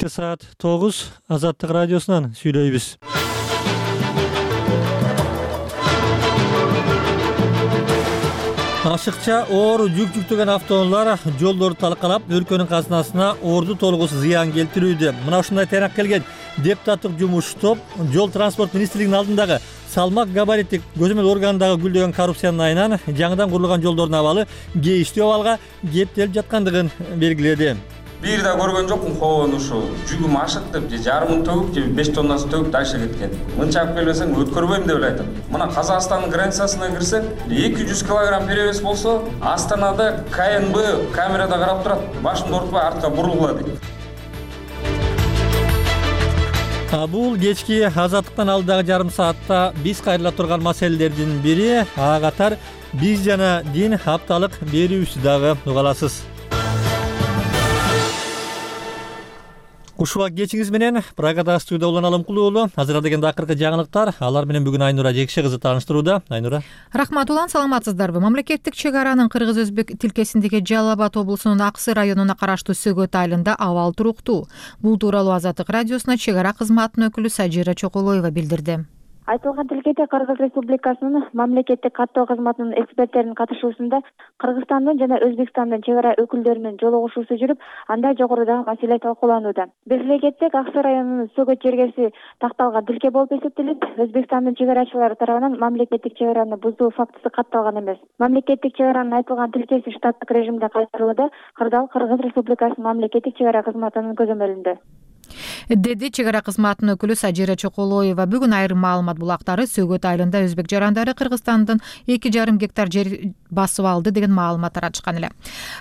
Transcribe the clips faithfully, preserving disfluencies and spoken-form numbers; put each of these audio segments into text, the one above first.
Кечте саат тогуз Азаттык радиосунан сүйлөйбүз. Ашыкча оор жүк жүктөгөн автоунаалар жолдорду талкалап, өлкөнүн казынасына орду толугусу зыян келтирүүдө. Мына ушундай тыйнак келген депутаттык жумуш топ жол транспорт министрлигинин алдындагы салмак габариттик көзөмөл органындагы гүлдөгөн коррупциянын айынан жаңыдан курулган жолдордун абалы кейиштүү абалга кептелип жаткандыгын белгиледи. Бир да көргөн жокмун хоон ушул жүгүм ашык деп же жарымын төгүп же беш тоннасын төгүп дальше кеткен. Мынча алып келбесең өткөрбөйм деп эле айтат. Мына Казакстандын границасына кирсек, эки жүз килограмм перевес болсо, Астанада ка эн бэ камерада карап турат, башымды ортпой артка бурулгула дейт. Бул кечки Азаттыктан алдыдагы жарым саатта биз кайрыла турган маселелердин бири, ага катар биз жана дин апталык берүүсү дагы уга аласыз. Ушул кечиңиз менен программада студияда Улан Алымкулуу уулу. Азыр дегенде акыркы жаңылыктар, алар менен бүгүн Айнура Жекше кызы тааныштырууда. Айнура. Рахмат Улан, саламатсыздарбы? Мамлекеттик чек аранын кыргыз-өзбек тилкесиндеги Жалал Абад облусунун Аксы районуна караштуу Сөгөт айылында абал туруктуу. Бул тууралуу Азаттык радиосуна чек ара кызматынын өкүлү Сажира Чоколоева билдирди. Айтылган тилкеде Кыргыз Республикасынын мамлекеттик каттоо кызматынын эксперттеринин катышуусунда Кыргызстандын жана Өзбекстандын чек ара өкүлдөрүнүн жолугушуусу жүрүп, анда жогорудагы маселе талкууланууда. Белгилей кетсек, Аксы районунун Сөгөт жергеси такталган тилке болуп эсептелип, Өзбекстандын чек арачылары тарабынан мамлекеттик чек араны бузуу фактысы катталган эмес. Мамлекеттик чек аранын айтылган тилкеси штаттык режимде кайтарылууда, кырдаал Кыргыз Республикасынын мамлекеттик чек ара кызматынын көзөмөлүндө, деди чек ара кызматынын өкүлү Сажира Чоколоева. Бүгүн айрым маалымат булактары Сөгөт айылында өзбек жарандары Кыргызстандын эки жарым гектар жер басып алды деген маалымат таратышкан эле.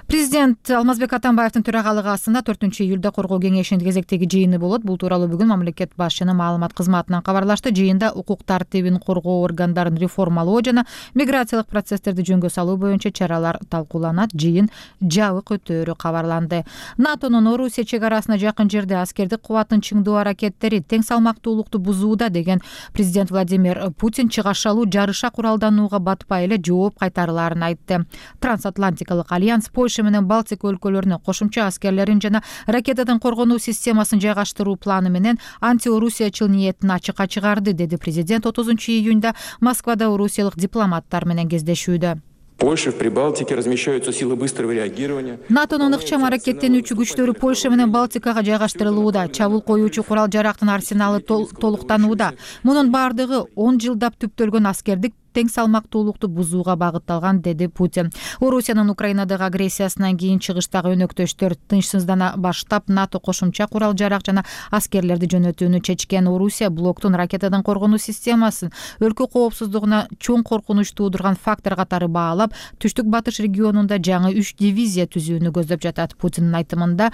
Президент Алмазбек Атамбаевдин төрагалыгы астында төртүнчү июлда коргоо кеңешинин кезектеги жыйыны болот. Бул тууралуу бүгүн мамлекет башчынын маалымат кызматынан кабарлашты. Жыйында укук тартибин коргоо органдарын реформалоо жана миграциялык процесстерди жөнгө салуу боюнча чаралар талкууланат. Жыйын жабык өтөөрү кабарланды. НАТОнун Орусия чек арасына жакын жерде аскердик кубатын чыңдоо аракеттери тең салмактуулукту бузууда деген президент Владимир Путин чыгашалуу жарыша куралданууга батпай эле жооп кайтарыларын айтты. Трансатлантикалык альянс Польша менен Балтика өлкөлөрүнө кошумча аскерлерин жана ракетадан коргонуу системасын жайгаштыруу планы менен анти-орусиячыл ниетин ачыкка чыгарды, деди президент отузунчу июнда Москвада орусиялык дипломаттар менен кездешүүдө. Польша в Прибалтике размещаются силы быстрого реагирования. НАТОнун ыкчам аракеттенүүчү күчтөрү Польша менен Балтикага жайгаштырылууда. Чабуул коюучу курал жарактын арсеналы толуктанууда. Мунун бардыгы он жылдап түптөлгөн аскердик тең салмактуулукту бузууга багытталган, деди Путин. Орусиянын Украинадагы агрессиясынан кийин чыгыштагы өнөктөштөр тынчсыздана баштап, НАТО кошумча курал жарак жана аскерлерди жөнөтүүнү чечкен. Орусия блоктун ракетадан коргонуу системасын өлкө коопсуздугуна чоң коркунуч туудурган фактор катары баалап, түштүк батыш регионунда жаңы үч дивизия түзүүнү көздөп жатат. Путиндин айтымында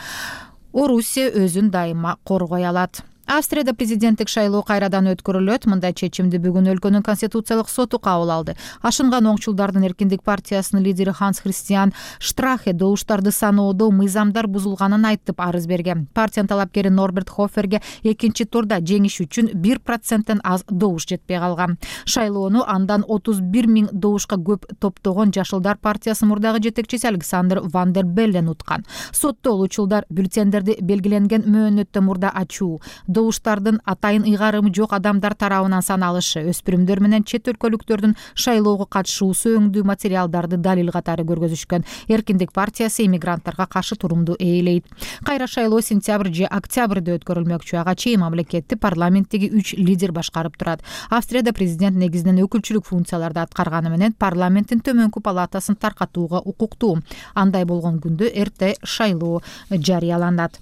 Орусия өзүн дайыма коргой алат. Австрияда президенттик шайлоо кайрадан өткөрүлөт. Мындай чечимди бүгүн өлкөнүн конституциялык соту кабыл алды. Ашынган оңчулдардын Эркиндик партиясынын лидери Ханс Христиан Штрахе добуштарды саноодо мыйзамдар бузулганын айтып арыз берген. Партиянын талапкери Норберт Хоферге экинчи турда жеңиш үчүн бир проценттен аз добуш жетпей калган. Шайлоону андан отуз бир миң добушка көп топтогон Жашылдар партиясынын мурдагы жетекчиси Александр Ван дер Беллен уткан. Сотто улучулдар бюллетендерди белгиленген мөөнөттөн мурда ачуу, добуштардын атайын ыйгарымы жок адамдар тарабынан саналышы, өспүрүмдөр менен чет өлкөлүктөрдүн шайлоого катышуусу өңдүү материалдарды далил катары көргөзүшкөн. Эркиндик партиясы иммигранттарга каршы турумду ээлейт. Кайра шайлоо сентябрь же октябрда өткөрүлмөкчү. Ага чейин мамлекетти парламенттеги үч лидер башкарып турат. Австрияда президент негизинен өкүлчүлүк функцияларды аткарганы менен парламенттин төмөнкү палатасын таркатууга укуктуу. Андай болгон күндө эрте шайлоо жарыяланат.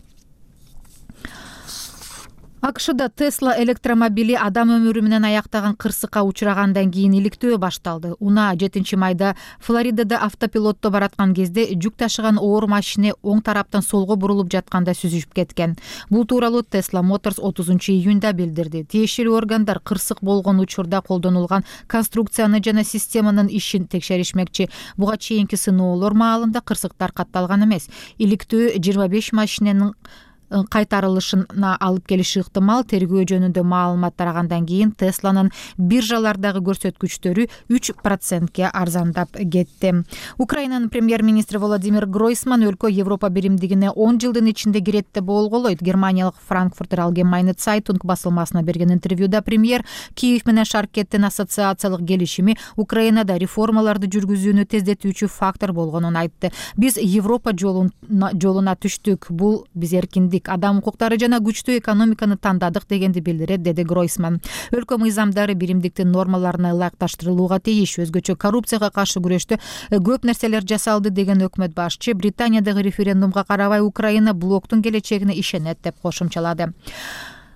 АКШда Tesla электромобили адам өмүрү менен аяктаган кырсыкка учурагандан кийин иликтөө башталды. Унаа жетинчи майда Флоридада автопилотто бараткан кезде жүк ташыган оор машина оң тараптан солго бурулуп жатканда сүзүшүп кеткен. Бул тууралуу Tesla Motors отузунчу июнда билдирди. Тиешелүү органдар кырсык болгон учурда колдонулган конструкцияны жана системанын ишин текшеришмекчи. Буга чейинки сыноолор маалында кырсыктар катталган эмес. Иликтөө жыйырма беш машинанын кайтарылышына алып келиши ыктымал. Тергөө жөнүндө маалымат тарагандан кийин Тесланын биржалардагы көрсөткүчтөрү үч процентке арзандап кетти. Украинанын премьер-министри Владимир Гройсман өлкө Европа биримдигине он жылдын ичинде кирет деп болголойт. Германиялык Frankfurter Allgemeine Zeitung басылмасына берген интервьюда премьер Киев менен Шаркеттин ассоциациялык келишими Украинада реформаларды жүргүзүүнү тездетүүчү фактор болгонун айтты. Биз Европа жолуна түштүк. Бул биз эркиндик, адам укуктары жана күчтүү экономиканы тандадык дегенди билдирет, деди Гройсман. Өлкө мыйзамдары биримдиктин нормаларына ылайыкташтырылууга тийиш. Өзгөчө коррупцияга каршы күрөштө көп нерселер жасалды деген өкмөт башчы Британиядагы референдумга карабай Украина блоктун келечегине ишенет деп кошумчалады.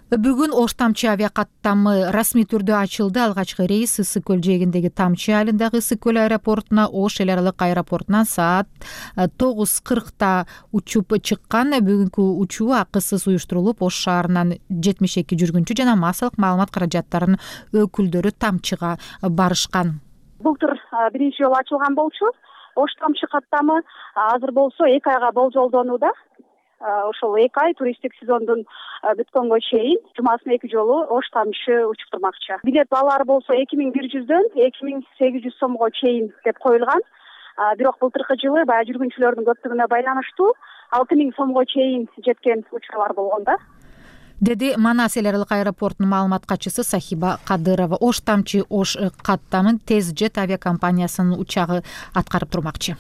Бүгүн Ош Тамчы авиакаттамы расмий түрдө ачылды. Алгачкы рейс Ысык көл жээгиндеги Тамчы айылындагы Ысык көл аэропортуна Ош эл аралык аэропортунан саат тогуз кыркта учуп чыккан. Бүгүнкү учуу акысыз уюштурулуп, Ош шаарынан жетимиш эки жүргүнчү жана массалык маалымат каражаттарынын өкүлдөрү Тамчыга барышкан. Былтыр биринчи жолу ачылган болчу. Ош Тамчы каттамы азыр болсо эки айга болжолдонууда. Ошол эки ай туристтик сезондун бүткөнгө чейин жумасына эки жолу Ош Тамчы учуп турмакчы. Билет баалары болсо эки миң бир жүздөн эки миң сегиз жүз сомго чейин деп коюлган. Бирок былтыркы жылы баягы жүргүнчүлөрдүн көптүгүнө байланыштуу алты миң сомго чейин жеткен учурлар болгон да. Деди Манас эл аралык аэропортунун маалымат катчысы Сахиба Кадырова. Ош Тамчы Ош каттамын Тез Жет авиакомпаниясынын учагы аткарып турмакчы.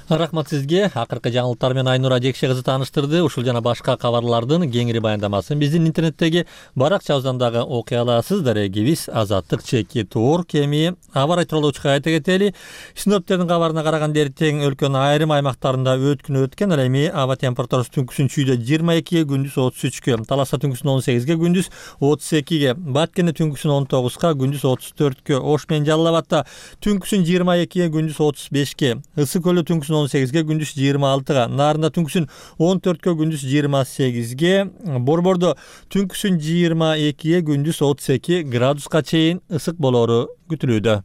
Рахмат сизге. Акыркы жаңылыктар менен Айнура Жекше кызы тааныштырды. Ушул жана башка кабарлардын кеңири баяндамасын биздин интернеттеги баракчабыздан дагы окуй аласыз. Дарегибиз Азаттык чеки туур кеми аба рай тууралуучу айта кетели. Синоптиктердин кабарына караганда эртең өлкөнүн айрым аймактарында өткүнү өткөн. Ал эми аба температурасы түнкүсүн чүйдө жыйырма экиге, күндүз отуз үчкө, Таласа түнкүсүн он сегизге, күндүз отуз экиге, Баткенде түнкүсүн он тогузга, күндүз отуз төрткө, Ош менен Жалал Абадта түнкүсүн жыйырма экиге, күндүз отуз бешке, Ысык көлдө түнкүсүн он сегизге, күндүз жыйырма алтыга, Нарында түнкүсүн он төрткө, күндүз жыйырма сегизге, Борбордо түнкүсүн жыйырма экиге, күндүз отуз эки градуска чейин ысык болору күтүлүүдө.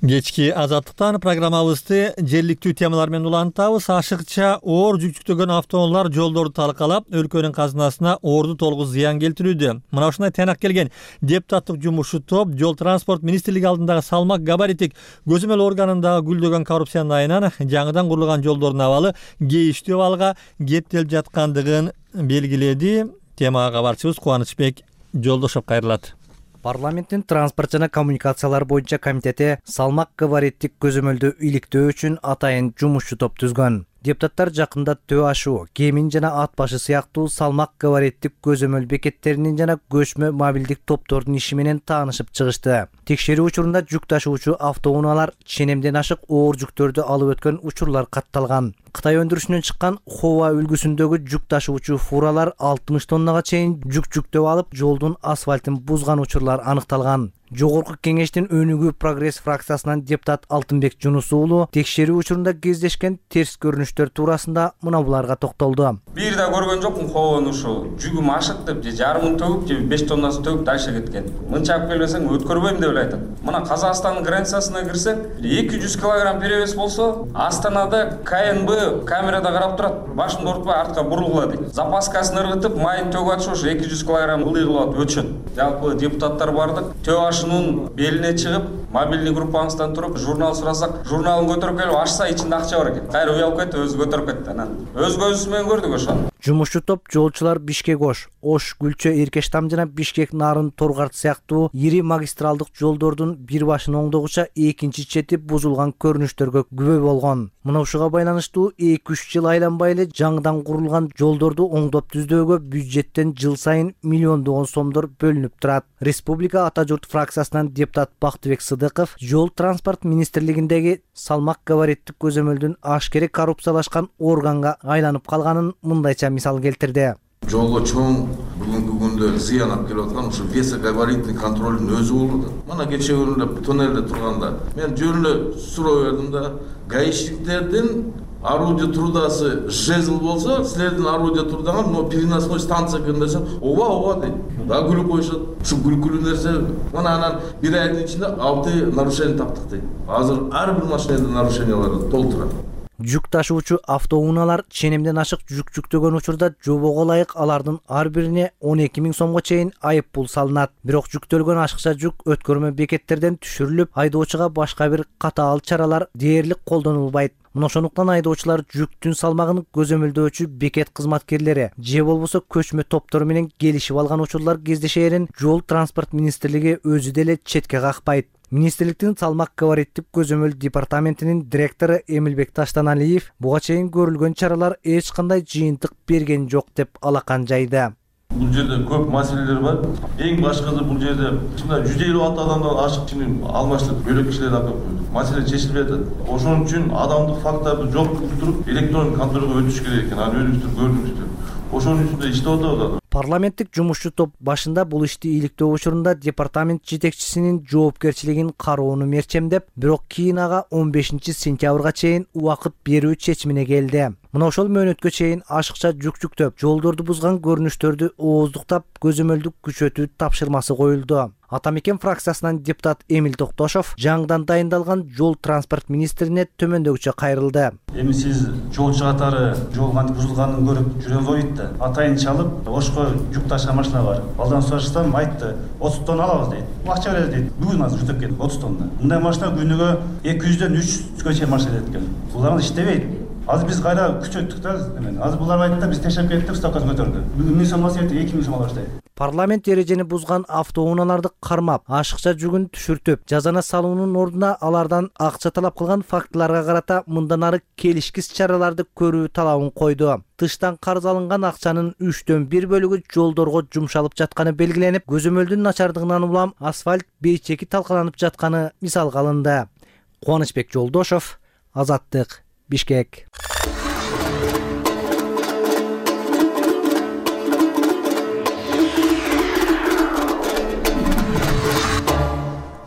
Кечки Азаттыктан программабызды жергиликтүү темалар менен улантабыз. Ашыкча оор жүк жүктөгөн автоунаалар жолдорду талкалап, өлкөнүн казынасына орду толугу зыян келтирүүдө. Мына ушундай тыйнак келген депутаттык жумушчу топ Жол транспорт министрлиги алдындагы салмак габариттик көзөмөл органындагы гүлдөгөн коррупциянын айынан жаңыдан курулган жолдордун абалы кейиштүү абалга кептелип жаткандыгын белгиледи. Темага кабарчыбыз Кубанычбек Жолдошов кайрылат. Парламенттин транспорт жана коммуникациялар боюнча комитети салмак габариттик көзөмөлдү иликтөө үчүн атайын жумушчу топ түзгөн. Депутаттар жакында төө ашуу, кемин жана ат башы сыяктуу салмак габариттик көзөмөл бекеттеринин жана көчмө мобилдик топтордун иши менен таанышып чыгышты. Текшерүү учурунда жүк ташуучу автоунаалар ченемден ашык оор жүктөрдү алып өткөн учурлар катталган. Кытай өндүрүшүнөн чыккан Хова үлгүсүндөгү жүк ташуучу фуралар алтымыш тоннага чейин жүк жүктөп алып, жолдун асфальтын бузган учурлар аныкталган. Жогорку кеңештин өнүгүү прогресс фракциясынан депутат Алтынбек Жунус уулу текшерүү учурунда кездешкен терс көрүнүштөр туурасында мына буларга токтолду. Бир да көргөн жокмун Хованы ушул жүгүм ашык деп, же жарымын төгүп, же беш тоннасын төгүп дальше кеткен. Мынча алып келбесең өткөрбөйм деп эле айтат. Мына Казакстандын границасына кирсек, эки жүз килограмм перевес болсо, Астанада КНБ камерада карап турат, башымды ортпой артка бурулгула дейт. Запаскасын ыргытып, майын төгүп атышып, ошо эки жүз килограмм ылдый кылып өчөт. Жалпы депутаттар бардык, төө ашынын белине чыгып, мобильный группабыздан туруп, журнал сурасак, журналын көтөрүп келип ачса, ичинде акча бар экен. Кайра уялып кетти, өзү көтөрүп кетти. Анан өз көзүбүз менен көрдүк ошону. Жумушчу топ жолчулар Бишкек Ош, Ош Гүлчө Эркештам жана Бишкек Нарын Торгарт сыяктуу ири магистралдык жолдордун бир башын оңдогуча экинчи чети бузулган көрүнүштөргө күбө болгон. Мына ушуга байланыштуу эки үч жыл айланбай эле жаңыдан курулган жолдорду оңдоп түздөөгө бюджеттен жыл сайын миллиондогон сомдор бөлүнүп турат. Республика Ата журт фракциясынан депутат Бактыбек Сыдыков Жол транспорт министрлигиндеги салмак габариттик көзөмөлдүн ашкере коррупциялашкан органга айланып калганын мындайча мисал келтирди. Жолго чоң бүгүнкү күндө зыян алып келип аткан ушу весогабаритный контролдун өзү болду. Мына кечээ күнү тоннелде турганда мен жөн эле суроо бердим да, гаишниктердин орудие трудасы жезл болсо, силердин орудие трудаңар но переносной станция экен десем, ооба ооба дейт. Да күлүп коюшат. Ушу күлкүлүү нерсе. Мына анан бир айдын ичинде алты нарушение таптык дейт. Азыр ар бир машинада нарушениялар толтурат. Жүк ташуучу автоунaalар ченемден ашык жүк жүктөгөн учурда жобого ылайык алардын ар бирине он эки миң сомго чейин айып пул салынат. Бирок жүктөлгөн ашыкча жүк өткөрмө бекеттерден түшүрүлүп, айдоочуга башка бир катаал чаралар дээрлик колдонулбайт. Мына ошондуктан айдоочулар жүктүн салмагын көзөмөлдөөчү бекет кызматкерлери же болбосо көчмө топтор менен келишип алган учурлар кездешээрин Жол транспорт министрлиги өзү деле четке какпайт. Министрликтин салмак габариттик көзөмөл департаментинин директору Эмилбек Таштаналиев буга чейин көрүлгөн чаралар эч кандай жыйынтык берген жок деп алакан жайда. Бул жерде көп маселелер бар. Эң башкысы бул жерде чында жүз элүү алты адамдан ашык чынын алмаштырып бөлөк кишилерди алып койдук. Маселе чечилбей атат. Ошон үчүн адамдык факторду жок туруп электрондук контролго өтүш керек экен. Аны өзүңүздөр көрдүңүздөр. Ошонун үстүндө иштеп атабыз. Парламенттик жумушчу топ башында бул ишти иликтөө учурунда департамент жетекчисинин жоопкерчилигин кароону мерчемдеп, бирок кийин ага он бешинчи сентябрга чейин убакыт берүү чечимине келди. Мына ошол мөөнөткө чейин ашыкча жүк жүктөп, жолдорду бузган көрүнүштөрдү ооздуктап, көзөмөлдүк күчөтүү тапшырмасы коюлду. Атамекен фракциясынан депутат Эмил Токтошов жаңыдан дайындалган жол транспорт министрине төмөндөгүчө кайрылды. Эми сиз жолчу катары жол кантип бузулганын көрүп жүрөң койт да. Атайын чалып, ошко жүк ташыган машина бар. Алдан сурашсам айтты, отуз тонна алабыз дейт. Акча берет дейт. Бүгүн азыр жүктөп кетти отуз тонна. Мындай машина күнүгө эки жүздөн үч жүзгө чейин машина кетет экен. Булар иштебейт. Азыр биз кайра күчөттүк да. Азыр булар айтты да, биз тешеп кеттик, ставкасын көтөрдү. Бүгүн миң сом алса эки миң сом ала баштайт. Парламент эрежени бузган автоунааларды кармап, ашыкча жүгүн түшүртүп, жазана салуунун ордуна алардан акча талап кылган фактыларга карата мындан ары келишкис чараларды көрүү талабын койду. Тыштан карыз алынган акчанын үчтөн бир бөлүгү жолдорго жумшалып жатканы белгиленип, көзөмөлдүн начардыгынан улам асфальт бейчеки талкаланып жатканы мисалга алынды. Кубанычбек Жолдошов, Азаттык, Бишкек.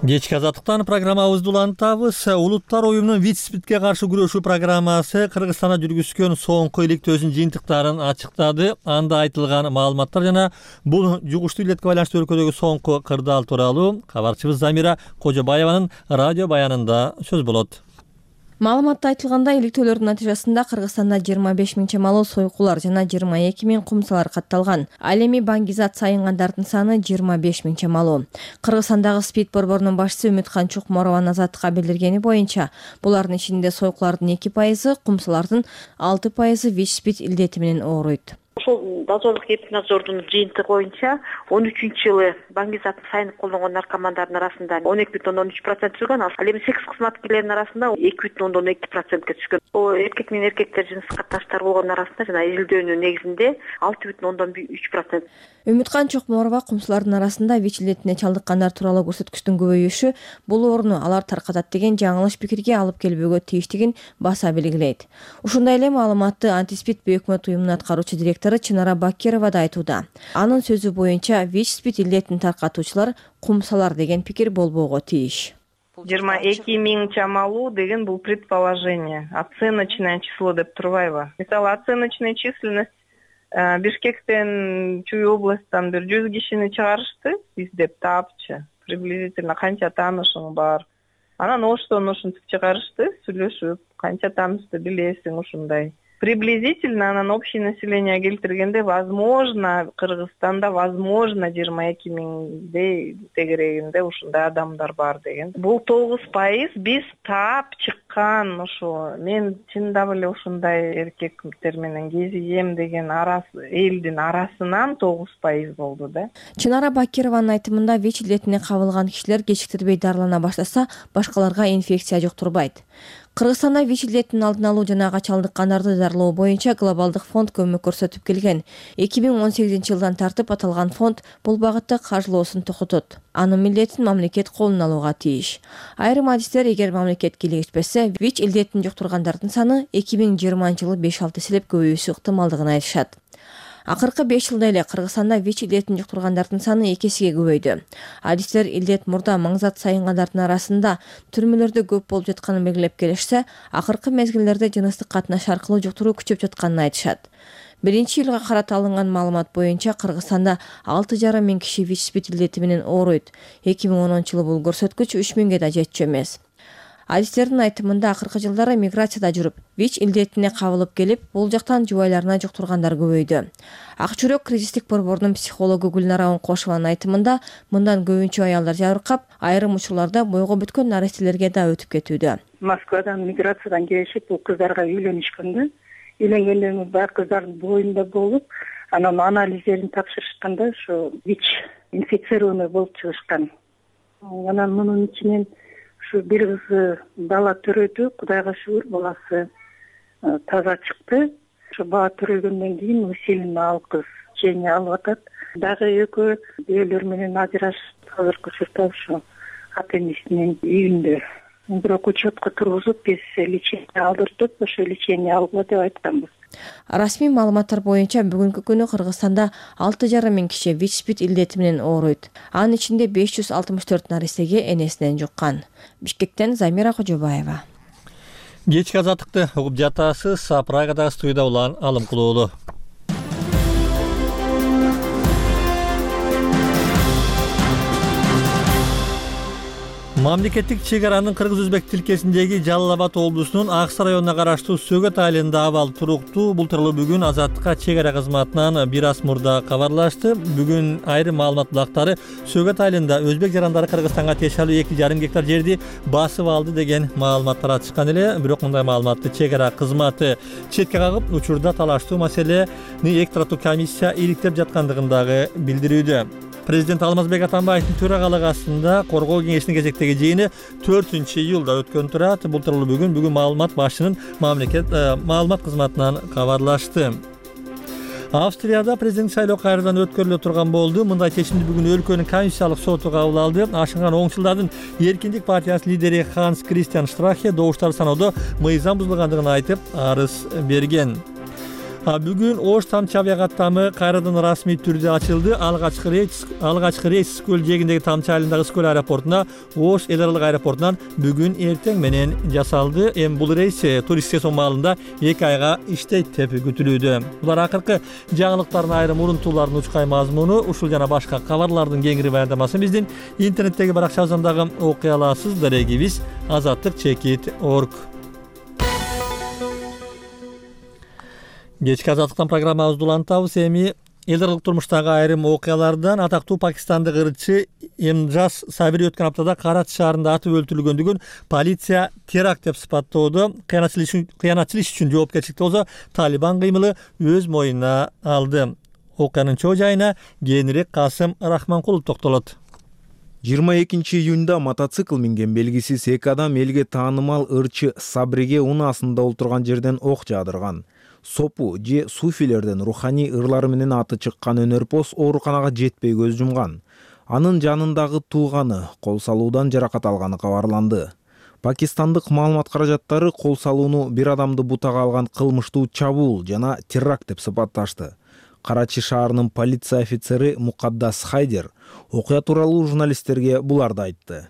Кечки Азаттыктан программабызды улантабыз. Улуттар уюмунун ВИЧ-СПИДке каршы күрөшүү программасы Кыргызстанда жүргүзгөн соңку иликтөөсүнүн жыйынтыктарын ачыктады. Анда айтылган маалыматтар жана бул жугуштуу илетке байланыштуу өлкөдөгү соңку кырдаал тууралуу кабарчыбыз Замира Кожобаеванын радио баянында сөз болот. Маалыматта айтылгандай, иликтөөлөрдүн натыйжасында Кыргызстанда жыйырма беш миң чамалуу сойкулар жана жыйырма эки миң кумсалар катталган. Ал эми баңгизат сайынгандардын саны жыйырма беш миң чамалуу. Кыргызстандагы СПИД борборунун башчысы Үмүткан Чукморованын Азаттыкка билдиргени боюнча, булардын ичинде сойкулардын эки пайызы, кумсалардын алты пайызы ВИЧ-СПИД илдети менен ооруйт. Ошол дозорлук эпиднадзордун жыйынтыгы боюнча он үчүнчү жылы баңгизатын сайынып колдонгон наркомандардын арасында он эки бүтүн ондон үч процент түшкөн, ал эми секс кызматкерлеринин арасында эки бүтүн ондон эки процентке түшкөн. Бул эркек менен эркектер жыныстык катнаштар болгон арасында жана изилдөөнүн негизинде алты бүтүн ондон үч процент. Үмүткан Чокморова кумсулардын арасында ВИЧ илетине чалдыккандар тууралуу көрсөткүчтүн көбөйүшү бул ооруну алар таркатат деген жаңылыш пикирге алып келбөөгө тийиштигин баса белгилейт. Ушундай эле маалыматты антиспид бейөкмөт уюмунун аткаруучу директору Чынара Бакирова да айтууда. Анын сөзү боюнча ВИЧ-СПИД илетин таркатуучулар кумсалар деген пикир болбоого тийиш. жыйырма эки миң чамалуу деген бул предположение, оценочное число деп турбайбы? Мисалы, оценочная численность Бишкектен, Чүй областтан бир жүз кишини чыгарышты, издеп таапчы. Приблизительно канча таанышың бар. Анан оштон ушинтип чыгарышты, сүйлөшүп, канча таанышты билесиң ушундай. Приблизительно анан общее население келтиргенде, возможно, Кыргызстанда возможно жыйырма эки миңдей тегерегинде ушундай адамдар бар деген. Бул тогуз пайыз биз таап чыккан ошо. Мен чындап эле ушундай эркектер менен кезигем деген арасы элдин арасынан тогуз пайыз болду да. Чынара Бакированын айтымында ВИЧ илетине кабылган кишилер кечиктирбей дарылана баштаса, башкаларга инфекция жуктурбайт. Кыргызстанда ВИЧ илетинин алдын алуу жана ага чалдыккандарды дарылоо боюнча глобалдык фонд көмөк көрсөтүп келген. эки миң он сегизинчи жылдан тартып аталган фонд бул багытта каржылоосун токотот. Анын милдетин мамлекет колуна алууга тийиш. Айрым адистер, эгер мамлекет кийлигишпесе, ВИЧ илетин жуктургандардын саны эки миң жыйырманчы жылы беш алты эселеп көбөйүшү ыктымалдыгын айтышат. Акыркы беш жылда эле Кыргызстанда ВИЧ илдетин жуктургандардын саны эки эсеге көбөйдү. Адистер илдет мурда маңзат сайынгандардын арасында түрмөлөрдө көп болуп жатканын белгилеп келишсе, акыркы мезгилдерде жыныстык катнаш аркылуу жуктуруу күчөп жатканын айтышат. Биринчи жылга карата алынган маалымат боюнча Кыргызстанда алты жарым миң киши ВИЧ-спид илдети менен ооруйт. эки миң онунчу жылы бул көрсөткүч үч миңге да жетчү эмес. Адистердин айтымында акыркы жылдары миграцияда жүрүп, ВИЧ илдетине кабылып келип, бул жактан жубайларына жуктургандар көбөйдү. Ак жүрөк кризистик борборунун психологу Гүлнара Оңкошованын айтымында, мындан көбүнчө аялдар жабыркап, айрым учурларда бойго бүткөн нарестелерге да өтүп кетүүдө. Москвадан миграциядан келишип, бул кыздарга үйлөнүшкөн да. Үйлөнгөндөн кийин баягы кыздардын боюнда болуп, анан анализдерин тапшырышканда ушу ВИЧ инфицированный болуп чыгышкан. Анан мунун ичинен ушу бир кызы бала төрөдү, Кудайга шүгүр, баласы таза чыкты. Ушу бала төрөлгөндөн кийин усиленно ал кыз лечение алып атат. Дагы экөө бийлер менен ажырашып, азыркы учурда ушу ата энесинин үйүндө. Бирок учетко тургузуп, биз лечение алдырдык, ошо лечение алгыла деп айтканбыз. Расмий маалыматтар боюнча бүгүнкү күнү Кыргызстанда алты жарым миң киши ВИЧ-спид илдети менен ооруйт. Анын ичинде беш жүз алтымыш төрт наристеге энесинен жуккан. Бишкектен Замира Кожобаева. Кечки азаттыкты угуп жатасыз. Прагадагы студияда улан Алым Кулуулу. Мамлекеттик чек аранын кыргыз-өзбек тилкесиндеги Жалал Абад облусунун Аксы районуна караштуу Сөгөт айылында абал туруктуу. Бул тууралуу бүгүн Азаттыкка чек ара кызматынан бир аз мурда кабарлашты. Бүгүн айрым маалымат булактары Сөгөт айылында өзбек жарандары Кыргызстанга тиешелүү эки жарым гектар жерди басып алды деген маалымат таратышкан эле. Бирок мындай маалыматты чек ара кызматы четке кагып, учурда талаштуу маселени эки тараптуу комиссия иликтеп жаткандыгын дагы билдирүүдө. Президент Алмазбек Атамбаевдин төрагалыгы астында коргоо кеңешинин кезектеги жыйыны төртүнчү июлда өткөн турат. Бул тууралуу бүгүн бүгүн маалымат башчынын мамлекет маалымат кызматынан кабарлашты. Австрияда президент шайлоо кайрадан өткөрүлө турган болду. Мындай чечимди бүгүн өлкөнүн конституциялык соту кабыл алды. Ашынган оңчулдардын Эркиндик партиясынын лидери Ханс Кристиан Штрахе добуштарды саноодо мыйзам бузулгандыгын айтып, арыз берген. Бүгүн Ош тамчы авиакаттамы кайрадан расмий түрдө ачылды. Алгачкы рейс алгачкы рейс Скөл жээгиндеги Тамчы айылындагы Скөл аэропортуна Ош эл аралык аэропортунан бүгүн эртең менен жасалды. Эми бул рейс туристик сезон маалында эки айга иштейт деп күтүлүүдө. Булар акыркы жаңылыктардын айрым урунтууларынын учкай мазмуну. Ушул жана башка кабарлардын кеңири баяндамасын биздин интернеттеги баракчабыздан дагы окуй аласыз. Дарегибиз азаттык чекит точка орг. Кечки азаттыктан программабызды улантабыз. Эми эл аралык турмуштагы айрым окуялардан атактуу пакистандык ырчы Эмджаз Сабири өткөн аптада Карачи шаарында атып өлтүрүлгөндүгүн полиция теракт деп сыпаттоодо. Кыянатчылык үчүн жоопкерчиликти болсо Талибан кыймылы өз мойнуна алды. Окуянын чоо жайына кийинирээк Касым Рахманкулов токтолот. жыйырма экинчи июнда мотоцикл минген белгисиз эки адам элге таанымал ырчы Сабриге унаасында олтурган жерден ок жаадырган. Сопу же суфилерден руханий ырлары менен аты чыккан өнөрпоз ооруканага жетпей көз жумган. Анын жанындагы тууганы кол салуудан жаракат алганы кабарланды. Пакистандык маалымат каражаттары кол салууну бир адамды бутага алган кылмыштуу чабуул жана теракт деп сыпатташты. Карачи шаарынын полиция офицери Мукаддас Хайдер окуя тууралуу журналисттерге буларды айтты.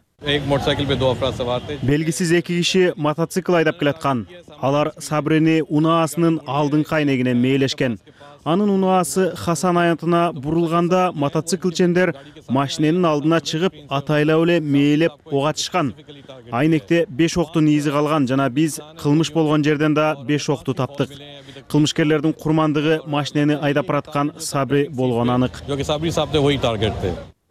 Белгисиз эки киши мотоцикл айдап келаткан. Алар Сабрини унаасынын алдыңкы айнегине мээлешкен. Анын унаасы Хасан аянтына бурулганда мотоциклчендер машиненин алдына чыгып, атайлап эле мээлеп ок атышкан. Айнекте беш октун изи калган жана биз кылмыш болгон жерден да беш окту таптык. Кылмышкерлердин курмандыгы машинени айдап бараткан Сабри болгону анык.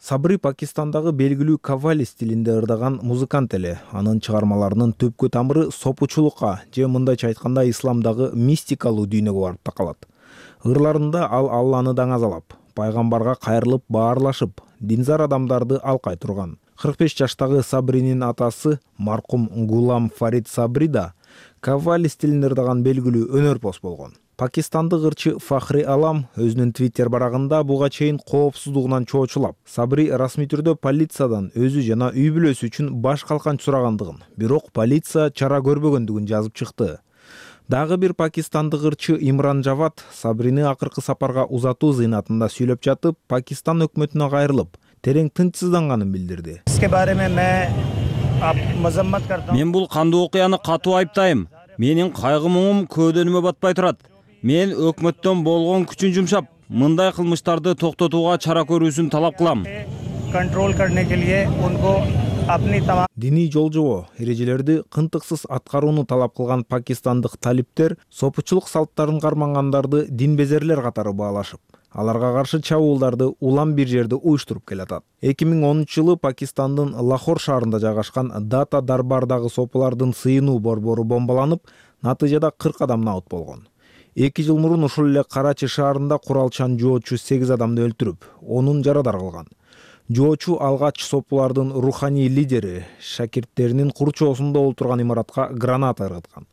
Сабри Пакистандагы белгилүү кавали стилинде ырдаган музыкант эле. Анын чыгармаларынын түпкү тамыры сопучулукка же мындайча айтканда исламдагы мистикалуу дүйнөгө барып такалат. Ырларында ал Алланы даңазалап, пайгамбарга кайрылып баарлашып, динзар адамдарды алкай турган. кырк беш жаштагы Сабринин атасы маркум Гулам Фарид Сабри да кавали стилинде ырдаган белгилүү өнөрпоз болгон. Пакистандык ырчы Фахри Алам өзүнүн Twitter барагында буга чейин коопсуздугунан чоочулап, Сабри расмий түрдө полициядан өзү жана үй бүлөсү үчүн баш калканч сурагандыгын, бирок полиция чара көрбөгөндүгүн жазып чыкты. Дагы бир пакистандык ырчы Имран Жавад Сабрини акыркы сапарга узатуу зыйнатында сүйлөп жатып, Пакистан өкмөтүнө кайрылып, терең тынчсызданганын билдирди. Мен бул кандуу окуяны катуу айыптайм. Менин кайгы муңум көөдөнүмө батпай турат. Мен өкмөттөн болгон күчүн жумшап, мындай кылмыштарды токтотууга чара көрүүсүн талап кылам. Диний жолжобо эрежелерди кынтыксыз аткарууну талап кылган пакистандык талиптер сопучулук салттарын кармангандарды динбезерлер катары баалашып, аларга каршы чабуулдарды улам бир жерде уюштуруп келатат. эки миң онунчу жылы Пакистандын Лахор шаарында жайгашкан Дата Дарбардагы сопулардын сыйынуу борбору бомбаланып, натыйжада кырк адам набыт болгон. эки жыл мурун ушул эле Карачи шаарында куралчан жоочу сегиз адамды өлтүрүп, онун жарадар кылган. Жоочу алгач сопулардын руханий лидери шакирттеринин курчоосунда олтурган имаратка граната ыргыткан.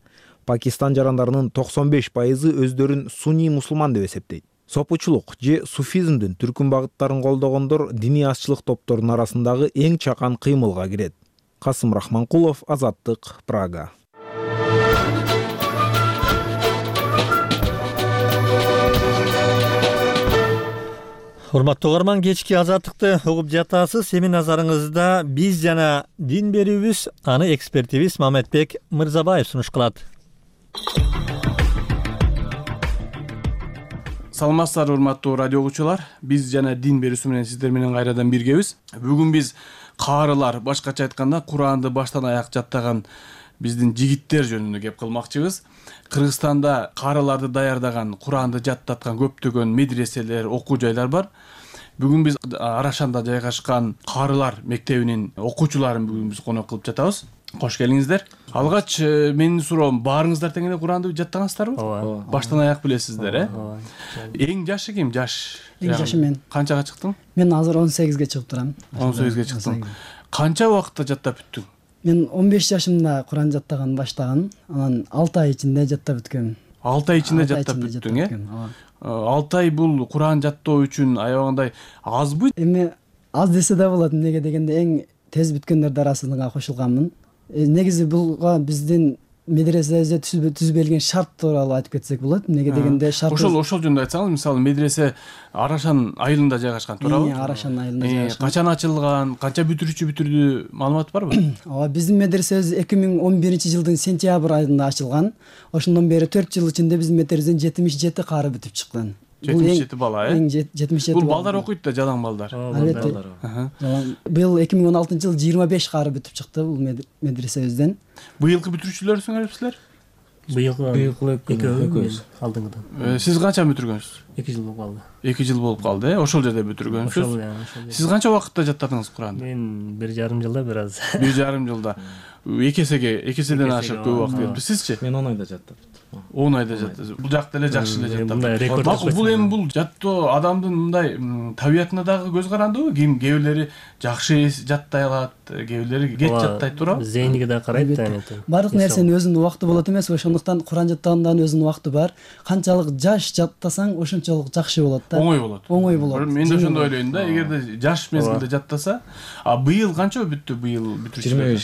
Пакистан жарандарынын токсон беш пайызы өздөрүн сунний мусулман деп эсептейт. Сопучулук же суфизмдин түркүн багыттарын колдогондор диний азчылык топторунун арасындагы эң чакан кыймылга кирет. Касым Рахманкулов, Азаттык, Прага. Урматтуу угарман, кечки Азаттыкты угуп жатасыз. Эми назарыңызда биз жана дин берүүбүз, аны экспертибиз Маматбек Мырзабаев сунуш кылат. Саламатсыздар урматтуу радио угуучулар. Биз жана дин берүүсү менен сиздер менен кайрадан биргебиз. Бүгүн биз каарылар, башкача айтканда Куранды баштан аяк жаттаган биздин жигиттер жөнүндө кеп кылмакчыбыз. Кыргызстанда каарыларды даярдаган, Куранды жаттаткан көптөгөн медреселер, окуу жайлар бар. Бүгүн биз Арашанда жайгашкан каарылар мектебинин окуучуларын бүгүн биз конок кылып жатабыз. Кош келиңиздер. Алгач менин суроом, баарыңыздар тең эле Куранды жаттаңыздарбы? Ооба. Баштан аяк билесиздер, э? Ооба. Эң жашы ким? Жаш. Эң жашы мен. Канчага чыктың? Мен азыр он сегизге чыгып турам. он сегизге чыктың. Канча убакытта жаттап бүттүң? Мен он беш жашымда Куран жаттаган баштаган, анан алты ай ичинде жаттап бүткөм. алты ай ичинде жаттап бүттүң, э? алты ай бул Куран жаттоо үчүн аябагандай азбы? Эми аз десе да болот, эмнеге дегенде эң тез бүткөндөрдүн арасына кошулганмын. Негизи булга биздин медресебизде түзбөлгөн шарт тууралуу айтып кетсек болот. Эмнеге дегенде шарт ошол ошол жөнүндө айтсаңыз, мисалы медресе Арашан айылында жайгашкан, туурабы? Арашан айылында жайгашкан. Качан ачылган, канча бүтүрүүчү бүтүрдү, маалымат барбы? Ооба, биздин медресебиз эки миң он биринчи жылдын сентябрь айында ачылган. Ошондон бери төрт жыл ичинде биздин медресебизден жетимиш жети кары бүтүп чыккан. жетимиш жети бала, э? Эң жетимиш жети. Бул балдар окуйт да, жалаң балдар. Албетте. Быйыл эки миң он алтынчы жылы жыйырма беш кары бүтүп чыкты бул медресебизден. Быйылкы бүтүрүүчүлөрсүңөр силер? Быйылкы экөөбүз алдыңгыдан. Сиз канча бүтүргөнсүз? эки жыл болуп калды. эки жыл болуп калды, э? Ошол жерде бүтүргөнсүз. Сиз канча убакытта жаттадыңыз Куранды? Мен бир жарым жылда бир аз. бир жарым жылда. эки эсеге, эки эседен ашык көп убакыт кетти. Сизчи? Мен он айда жаттап. он айда жаттыңыз. Бул жакта эле жакшы эле жаттап. Макул, бул эми бул жаттоо адамдын мындай табиятына дагы көз карандыбы? Ким кээ бирлери жакшы жаттай алат, кээ бирлери кеч жаттайт, туурабы? Зейниге да карайт да. Баардык нерсенин өзүнүн убакыты болот эмес, ошондуктан Куран жаттагандын өзүнүн убакыты бар. Канчалык жаш жаттасаң, ошончолук жакшы болот да. Оңой болот. Оңой болот. Мен да ошондой ойлойм да, эгерде жаш мезгилде жаттаса, а быйыл канча бүттү быйыл бүтүрүүчүлөр?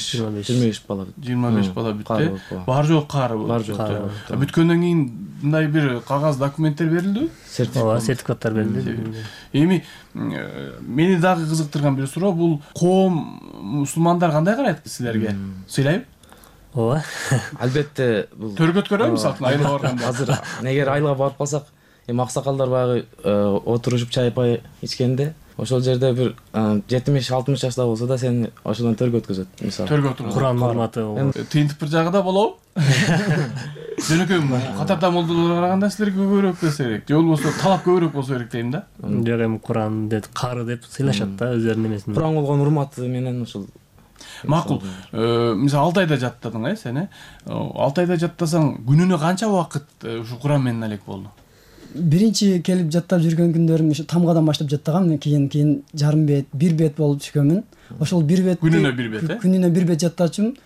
жыйырма беш бала бүттү. жыйырма беш бала бүттү. Бар жок кары бар жок. Бүткөндөн кийин мындай бир кагаз документтер берилдиби? Ооба, сертификаттар берилди. Эми мени дагы кызыктырган бир суроо, бул коом мусулмандар кандай карайт силерге? Сыйлайбы? Ооба. Албетте бул төргөт көрөбү мисалы айылга барганда? Азыр эгер айылга барып калсак, эми аксакалдар баягы отурушуп чай пай ичкенде, ошол жерде бир жетимиш алтымыш жашта болсо да сени ошодон төргө өткөзөт, мисалы. Төргө отуруп. Куран урматы. Тыйынтып бир жагы да болобу? Жөнөкөй катарда молдолорго караганда силерге көбүрөөк берсе керек. Же болбосо талап көбүрөөк болсо керек дейм да. Жок, эми Куран деп кары деп сыйлашат да өзүлөрүнүн эмесин. Куран болгон урматы менен ушул. Макул. Мисалы алты айда жаттадың, э, сен, э? алты айда жаттасаң, күнүнө канча убакыт ушу Куран менен алек болду? Биринчи келип жаттап жүргөн күндөрүм ушу тамгадан баштап жаттагам, кийин кийин жарым бет, бир бет болуп түшкөнмүн. Ошол бир бет күнүнө бир бет, э? Күнүнө бир бет жаттачумун.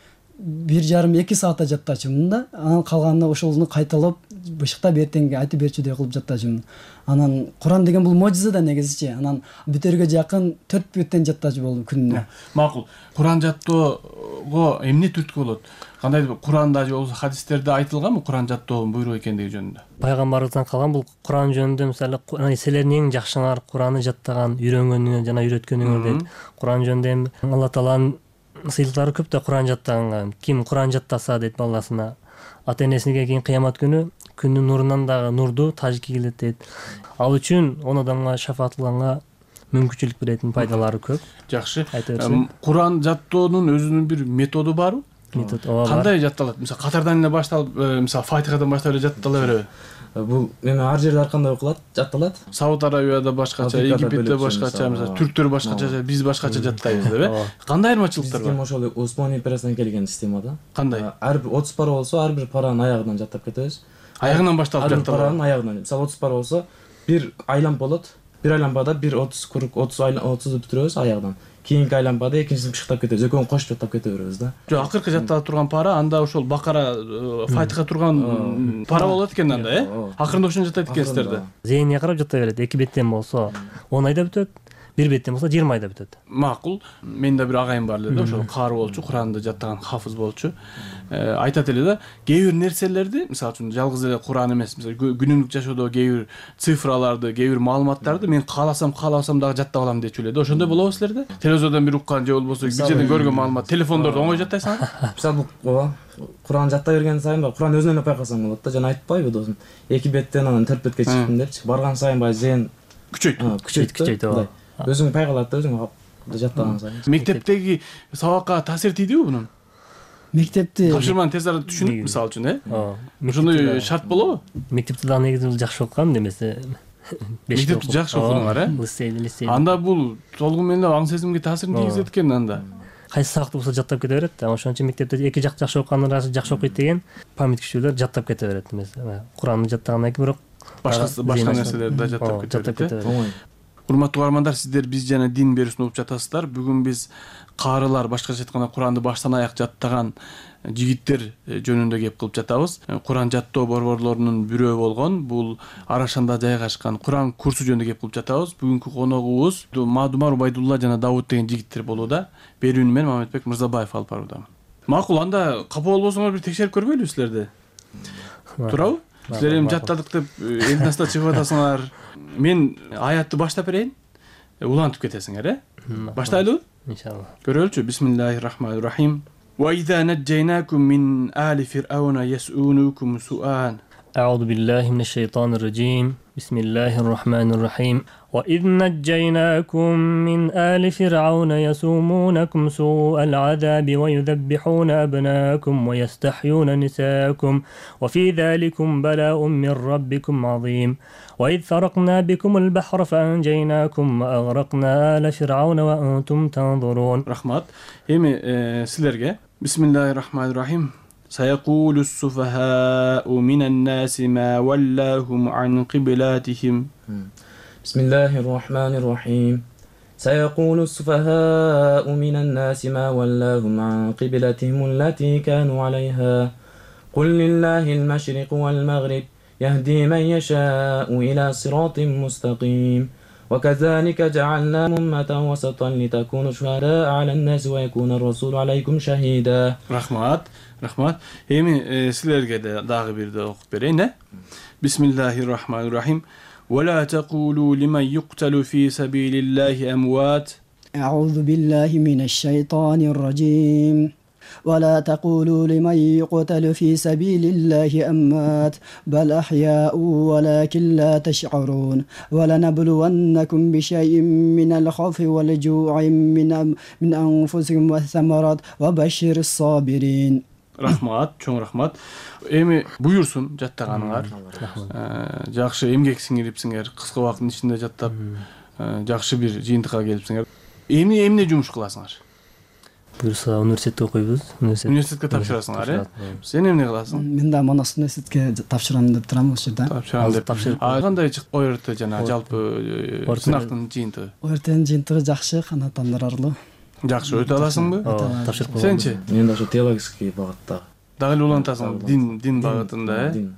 бир жарым эки саатта жаттачумун да. Анан калганына ошолну кайталап бышыктап эртең айтып берчүдөй кылып жаттачумун. Анан Куран деген бул можиза да негизичи. Анан бүтөргө жакын төрт бүттен жаттачу болдум күнүнө. Макул. Куран жаттоого эмне түрткү болот? Кандайдыр Куранда же болбосо хадистерде айтылганбы Куран жаттоонун буйрук экендиги жөнүндө? Пайгамбарыбыздан калган бул Куран жөнүндө мисалы силердин эң жакшыңар Куранды жаттаган, үйрөнгөнүңөр жана үйрөткөнүңөр дейт. Куран жөнүндө эми Алла Тааланын сыйлыктары көп да Куран жаттаганга. Ким Куран жаттаса дейт баласына, ата-энесине кийин кыямат күнү күндүн нурунан дагы нурду тажики келет дейт. Ал үчүн он адамга шафаат кылганга мүмкүнчүлүк беретін пайдалары көп. Жакшы. Куран жаттоонун өзүнүн бир методу барбы? Метод ооба. Кандай жатталат? Мисалы катардан эле башталып, мисалы Фатихадан баштап эле жаттала береби? Бул эми ар жерде ар кандай окулат, жатталат. Сауд Арабияда башкача, Египетте башкача, мисалы түрктөр башкача, биз башкача жаттайбыз деп, э? Кандай айырмачылыктар бар? Биздики ошол Осман империясынан келген система да. Кандай? Ар бир отуз пара болсо, ар бир паранын аягынан жаттап кетебиз. Аягынан башталып жатталат. жатталат. Паранын аягынан. Мисалы отуз пара болсо, бир айлам болот. Бир айлампада бир отуз курук отуз отузду бүтүрөбүз аягынан. Кийинки айлампада экинчисин бышыктап кетебиз. Экөөнү кошуп жаттап кете беребиз да. Жок, акыркы жаттала турган пара анда ошол Бакара, Фатиха турган пара болот экен анда, э? Акырында ошону жаттайт экенсиздер да. Зээнге карап жатта берет. эки беттен болсо он айда бүтөт. Бир беттен болсо жыйырма айда бүтөт. Макул. Менин да бир агайым бар эле да, ошол каары болчу, Куранды жаттаган хафыз болчу. Айтат эле да, кээ бир нерселерди, мисалы үчүн жалгыз эле Куран эмес, мисалы күнүмдүк жашоодо кээ бир цифраларды, кээ бир маалыматтарды мен кааласам, кааласам дагы жаттап алам дечү эле да. Ошондой болобу силерде? Телевизордон бир уккан же болбосо бир жерден көргөн маалымат телефондордо оңой жаттайсыңар? Мисалы ооба, Куран жаттай берген сайын Куран өзүнөн эле байкасаң болот да. Жана айтпайбы досум, эки беттен анан төрт бетке чыктым депчи. Барган сайын баягы зээн күчөйт. Күчөйт, күчөйт ооба. Өзүң пайгалат да, өзүң жаттаган сайын. Мектептеги сабакка таасир тийдиби бунун? Мектепти тапшырманы тез арада түшүнүп, мисалы үчүн, э? Ошондой шарт болобу? Мектепте дагы негизи жакшы окугам демесе. Мектепти жакшы окудуңар, э? Лицейде, лицейде. Анда бул толугу менен аң сезимге таасирин тийгизет экен анда. Кайсы сабакты болсо жаттап кете берет да. Ошон үчүн мектепте эки жак жакшы окугандар арасы жакшы окуйт деген память күчтүүлөр жаттап кете берет эмес. Куранды жаттагандан кийин бирок башка башка нерселерди да жаттап кете берет. Урматтуу угармандар, сиздер Биз жана дин берүүсүн угуп жатасыздар. Бүгүн биз каарылар, башкача айтканда Куранды баштан аяк жаттаган жигиттер жөнүндө кеп кылып жатабыз. Куран жаттоо борборлорунун бирөө болгон бул Арашанда жайгашкан Куран курсу жөнүндө кеп кылып жатабыз. Бүгүнкү коногубуз Маадумар Убайдулла жана Давут деген жигиттер болууда. Берүүнү мен Маматбек Мырзабаев алып баруудамын. Макул, анда капа болбосоңор бир текшерип көрбөйлүбү силерди? Туурабы? Силер эми жаттадык деп элдин астына чыгып атасыңар. Мен аятты баштап берейин. Улантып кетесиңер, э? Баштайлыбы? Иншалла. Көрөлүчү. Бисмиллахир-рахманир-рахим. Ва иза наджайнакум мин али фирауна ясунукум суан. أعوذ بالله من الشيطان الرجيم بسم الله الرحمن الرحيم وإذ نجيناكم من آل فرعون يسومونكم سوء العذاب ويذبحون أبناءكم ويستحيون نساءكم وفي ذلكم بلاء من ربكم عظيم وإذ فرقنا بكم البحر فأنجيناكم وأغرقنا آل فرعون وأنتم تنظرون. رحمات. إيمي سيلرغي بسم الله الرحمن الرحيم. سيقول السفهاء من الناس ما ولاهم عن قبلاتهم. بسم الله الرحمن الرحيم. سيقول السفهاء من الناس ما ولاهم عن قبلتهم التي كانوا عليها قل لله المشرق والمغرب يهدي من يشاء إلى صراط مستقيم وكذلك جعلنا أمة وسطا لتكونوا شهداء على الناس ويكون الرسول عليكم شهيدا. رحمات. Рахмат. Эми силерге дагы бир да окуп берейин, э? Бисмиллахир-рахманир-рахим. Ва ла тaqulu liman yuqtalu fi sabilillahi amwat. А'удhu billahi minash shaytanir rajim. ولا تقولوا لمن يقتل في سبيل الله أموات بل أحياء ولكن لا تشعرون ولنبلونكم بشيء من الخوف والجوع من من أنفسكم والثمرات وبشر الصابرين. Рахмат, чоң рахмат. Эми буйурсун жаттаганыңар. Жакшы эмгек сиңирипсиңер, кыска убакыттын ичинде жаттап, жакшы бир жыйынтыкка келипсиңер. Эмне эмне жумуш кыласыңар? Буюрса университетте окуйбуз. Университетке тапшырасыңар, э? Сен эмне кыласың? Мен да Манас университетке тапшырам деп турам ошол жерде. Тапшырам деп. А кандай чыкты о эр тэ жана жалпы сынактын жыйынтыгы? о эр тэдин жыйынтыгы жакшы, канааттандырарлуу. Жакшы өтө аласыңбы? Тапшырып койгом. Сенчи? Мен да ошо теологический багытта. Дагы эле улантасың, дин дин багытында, э?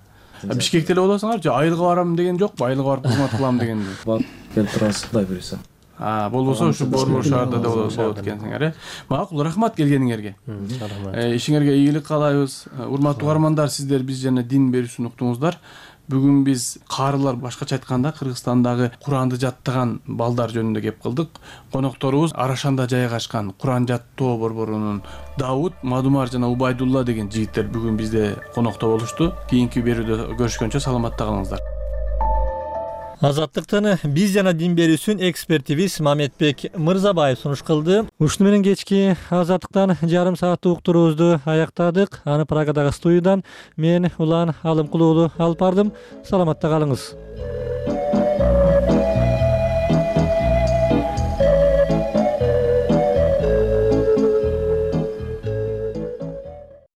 Бишкекте эле болосуңар же айылга барам деген жокпу? Айылга барып кызмат кылам деген. Барып келип турасыз, Кудай буйруса. А, болбосо ушу Борбор шаарда да болот экенсиңер, э? Макул, рахмат келгениңерге. Рахмат. Ишиңерге ийгилик каалайбыз. Урматтуу угармандар, сиздер биз жана дин берүүсүн уктуңуздар. Бүгүн биз каарылар, башкача айтканда Кыргызстандагы Куранды жаттаган балдар жөнүндө кеп кылдык. Конокторубуз Арашанда жайгашкан Куран жаттоо борборунун Давут, Мадумар жана Убайдулла деген жигиттер бүгүн бизде конокто болушту. Кийинки берүүдө көрүшкөнчө саламатта калыңыздар. Азаттыктын биз жана дин берүүсүн экспертибиз Мамедбек Мырзабаев сунуш кылды. Ушуну менен кечки Азаттыктан жарым сааттык уктуруубузду аяктадык. Аны Прагадагы студиядан мен Улан Алымкулуулу алып бардым. Саламатта калыңыз.